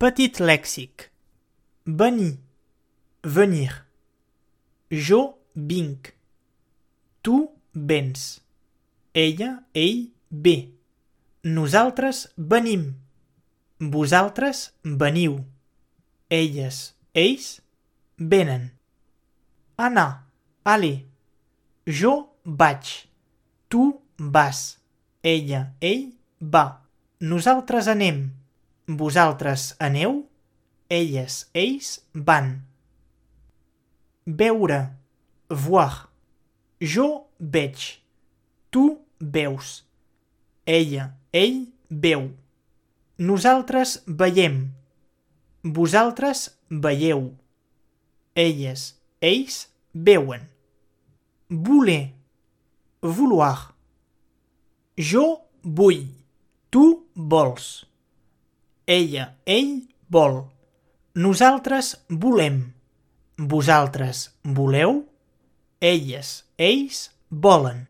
Petit lèxic. Venir, venir. Jo vinc. Tu vens. Ella, ell, ve. Nosaltres venim. Vosaltres veniu. Elles, ells, venen. Anar, aller. Jo vaig. Tu vas. Ella, ell, va. Nosaltres anem. Vosaltres aneu. Elles, ells, van. Veure, voir. Jo veig. Tu veus. Ella, ell, veu. Nosaltres veiem. Vosaltres veieu. Elles, ells, veuen. Voler, vouloir. Jo vull. Tu vols. Ella, ell, vol. Nosaltres volem. Vosaltres voleu. Elles, ells, volen.